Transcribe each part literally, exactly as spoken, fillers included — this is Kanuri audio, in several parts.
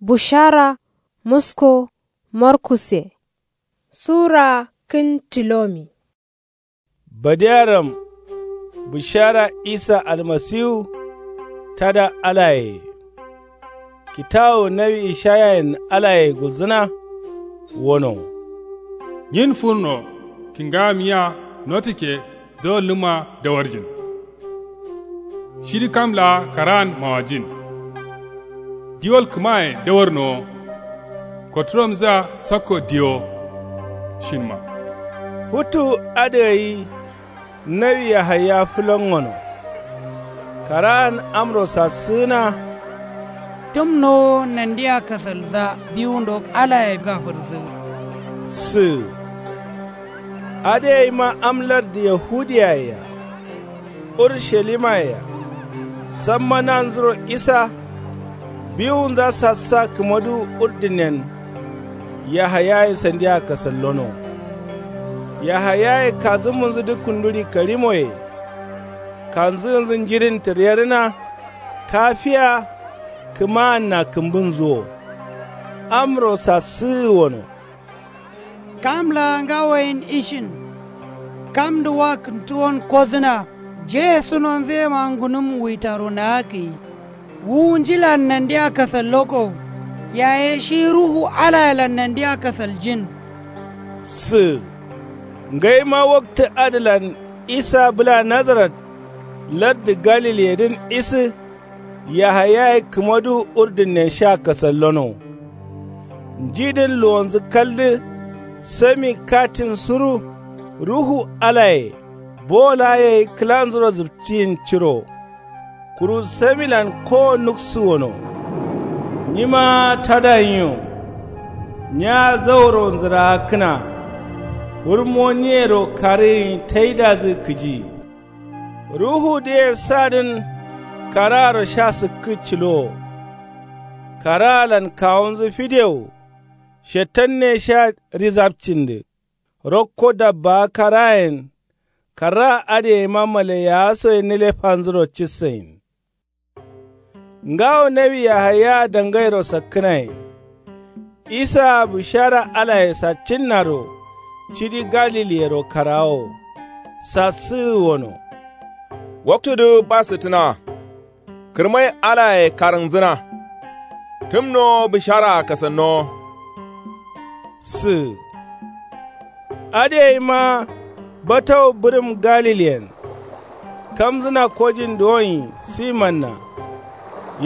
Bushara musko markusse. Sura kǝn tilomi. Badearam. Bushara isa almasiwu. Tada alaye. Kitawu nawi ishayayen alaye gulzǝna. Wono. Nyin furno kǝngamiya notukke zawallǝma dawarjin. Shidǝ kam laa karaan mawajin. Diwal kǝmaye dawarnowo. Koturamzǝa sakko diwo. Shinma. Futu adǝ gai. Nawi yahaya fǝlongono. Karaan amro sassǝgǝna. Tǝmnowo nandia kasalza biwundo alaye gafǝrǝsǝ. Sǝ. Adǝ gaima am lardǝ yahudiyaye-a. Urushalimaiya. Samma nanzuro isa. Biwunza sassa kǝmadu urdǝnnen. Yahayaye sandia kasallono. Yahayaye kazǝmunzudǝ kunduri karimoye. Kanzǝgǝnzǝ njirin tǝryerǝna. Kafiya. Kǝmaanna kǝmbǝnzǝ wo. Amro sassǝgǝ wono. Kam laa ngawoyen ishin. Kamdǝ wa kǝntuwon kodǝna. Jeye sunonzǝ yema ngunǝm wuitaro naakǝyi. Wu njilan nandia kasalloko. Yaye shi ruhu alayelan nandia kasaljin. Sǝ. Ngaima waktǝ adǝlan isa bǝla nazarat. Lardǝ galiliyedǝn isǝ. Yahayaye kǝmadu urdǝnnen sha kasallono. Njidǝn luwonzǝ kaldǝ. Sami katin suru. Ruhu alaye. Bo laa gai kǝlanzuro zǝptiyin ciro. Kuru samilan kowo nuksǝ wono. Nima tada nyiyo. Nya zauro nzǝraakǝna. Wurmo nyiyero karǝ gai taidazǝ kǝji. Ruhudǝye sadǝn. Karaaro sha sǝkkǝ cǝlowo. Karaalan kawunzǝ fidewo. Shetanne sha rizapcindǝ. Rokko dabbaa karayen. Karaa adǝ gaima malaiyawa soye nǝlefanzuro cissayin. Ngawo nawi yahaya dangairo sakkǝnaye. Isaa bushara alaye saccinnaro. Cidi galiliyero karawo. Sassǝgǝ wono. Waktudǝ basǝttǝna. Kǝrmai alaye karǝngzǝna. Tǝmnowo bǝsharaa kasannowo. Sǝ. Adǝ gaima batawu bǝrǝm galiliyen. Kamzǝna kojin duwonyi simanna.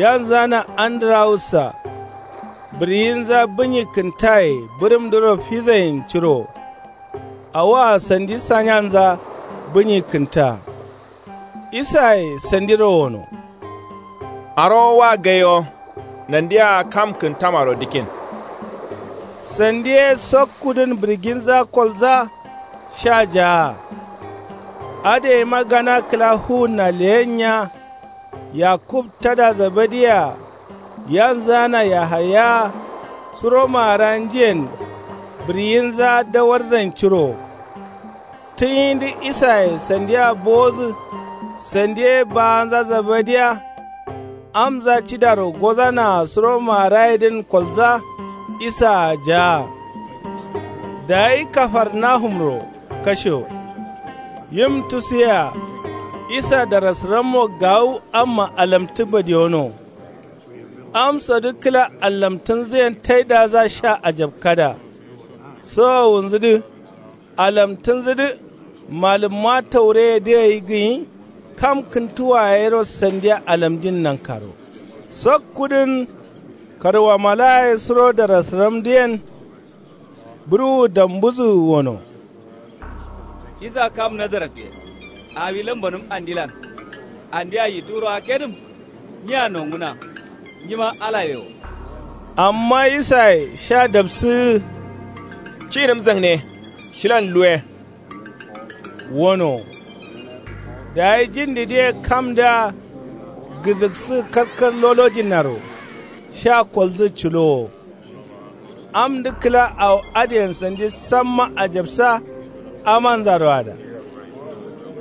Yanzana andurawussa. Bǝriyinza bǝnyi kǝntaye bǝrǝmdǝro fizayin curo. Awoa sandi sanyanza bǝnyi kǝnta. Isaye sandiro wono. Arowo wa gaiwo. Nandia kam kǝntamaro dǝkin. Sandi ye sokkudǝn bǝrginza kolza. Sha jaa. Adǝ gaima gana kǝla fuwunna leyennya. Yakub tada zabadiya. Yanzana yahaya. Suro maara njiyen. Bǝriyinza dawarzain curo. Tǝyindǝ isaye sandia bowodǝ. Sandi ye baanza zabadiya. Amza cidaro gozanaa suro maarayedǝn kolza. Isaa jaa. Dayi kafarnahumro kashewo. Yim tusiya. Isa darasǝrammo gawu amma alamtǝ badiyono. Amsodǝ kǝla allamtǝnzǝyen taidaza sha ajabkada. Sowowunzǝdǝ. Alamtǝnzǝdǝ. Malǝmma taureyedǝ gai gǝnyi. Kam kǝntuwa yero sandiya alamjin nankaro. Sakkudǝn. Karwamalaye suro darasǝramdǝyen. Bǝrwu dambudǝ wono. Isa kam nazaratye. Awi lambanǝm andilan. Andia yitu ro akedǝm. Nyiya nonguna. Nyima alaye wo. Amma isaye sha dabsǝgǝ. Cinǝm zangne. Shilan luwe. Wono. Dayi jindidǝye kamdǝa. Gǝzǝksǝ kalkal lolojinnaro. Sha koldǝ culowo. Amdǝ kǝla awo adǝyen sandi samma ajabsa. Amanzaro ada.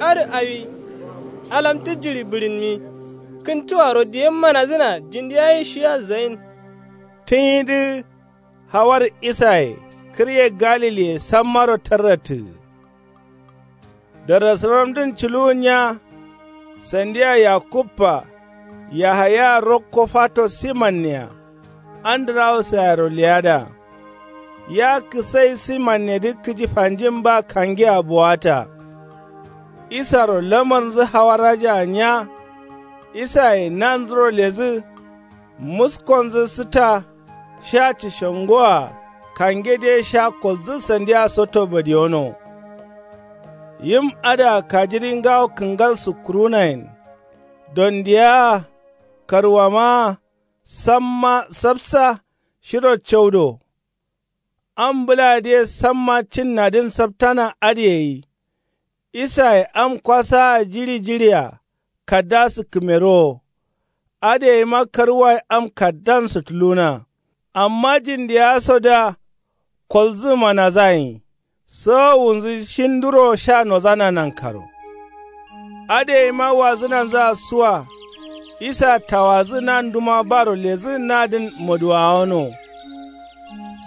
Adǝ awi. Alamtǝ jiɍi bǝɍinmi. Kǝntuwaro diyen manazǝna jindi gai shiya zayin. Tǝnyidǝ hawar isaye kǝrye galiliye sammaro tarrattǝgǝ. Darasǝramdǝn culuwunya sandiya yakubba, yahaya rokko fato simannea, andǝrawusayero leyada. Ya kǝsai simannedǝ kǝji fanjin ba kangea buwata. Isaro lamarnzǝ hawaraja nya. Isaye nanzuro lezǝ. Muskonzǝ sǝta. Sha cǝshongoa kangedǝye sha kolzǝ sandiya soto badiyono. Yim adǝa kajiri ngawo kǝngal sukkurunayen. Dondiyaa karwamaa samma sapsa shiro caudo. Am bǝladǝye samma cinnadǝn saptana adǝ gai. Isaye am kwasaa jiɍi jiɍia kadda sǝkkǝmerowo. Adǝ gaima karwaye am kaddan sutuluna. Amma jindiyaasodǝa kolzǝ manazagǝnyi. Sowowunzǝ shinduro sha nozana nankaro. Adǝ gaima wazǝnanzǝa suwa. Isa tawadǝ nanduma baro ledǝ nadǝn moduwawono.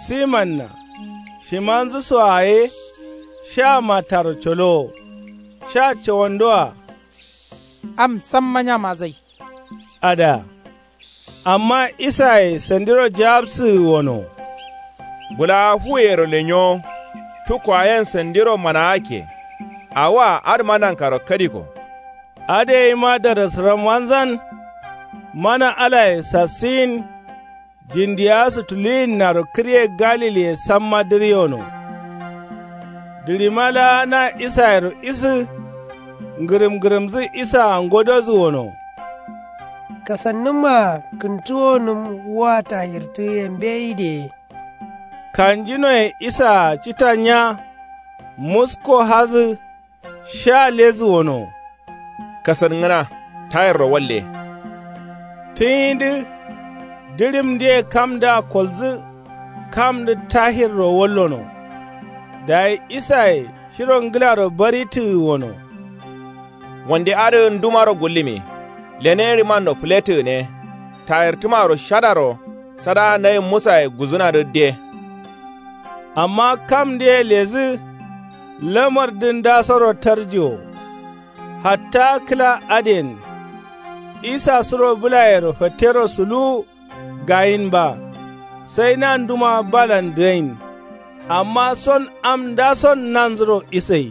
Simanna shimanzǝ soa ye. Sha mataro colowo. Sha cawondoa. Am samma nyamadǝ gai. Adǝa. Amma isaye sandiro jawabsǝgǝ gono. Bǝlawa fuwuyero lenyowo. Tukkowa yen sandiro manawakke. Awoa adǝma nankaro kadiko. Adǝ gaima darasǝram wanzan. Mana alaye sassuyin. Jindiyawa sutuluyinnaro kǝrye galiliye samma dǝriyono. Dǝɍima laa na isayero isǝ. Ngǝrǝm ngǝrǝmdǝ isaa ngododǝ gono. Kasannǝmaa kǝntuwonǝm wa tayirtǝgǝye mbeyi de. Kanjinoye isaa cita nya. Musko hadǝ. Sha ledǝ gono. Kasangǝna tayirro walle. Tǝnyidǝ dǝɍimdǝye kamdǝa kolzǝ. Kamdǝ tayirro wallono. Dayi isaye shiro ngǝlaro baritǝgǝ gono. Wande adǝ ndumaro gullǝmi. Lene ɍimanno fǝlettǝ gǝne. Tayirtǝmaro shadaro sadaa nayi musaye guzǝnadǝ de. Amma kamdǝye ledǝ lamardǝ ndasoro tarjiwo. Hatta kǝla adǝyen. Isa suro bǝlayero fattero suluwu. Gayin ba. Sai nanduma balan dǝgain. Amma son am ndason nanzuro isai.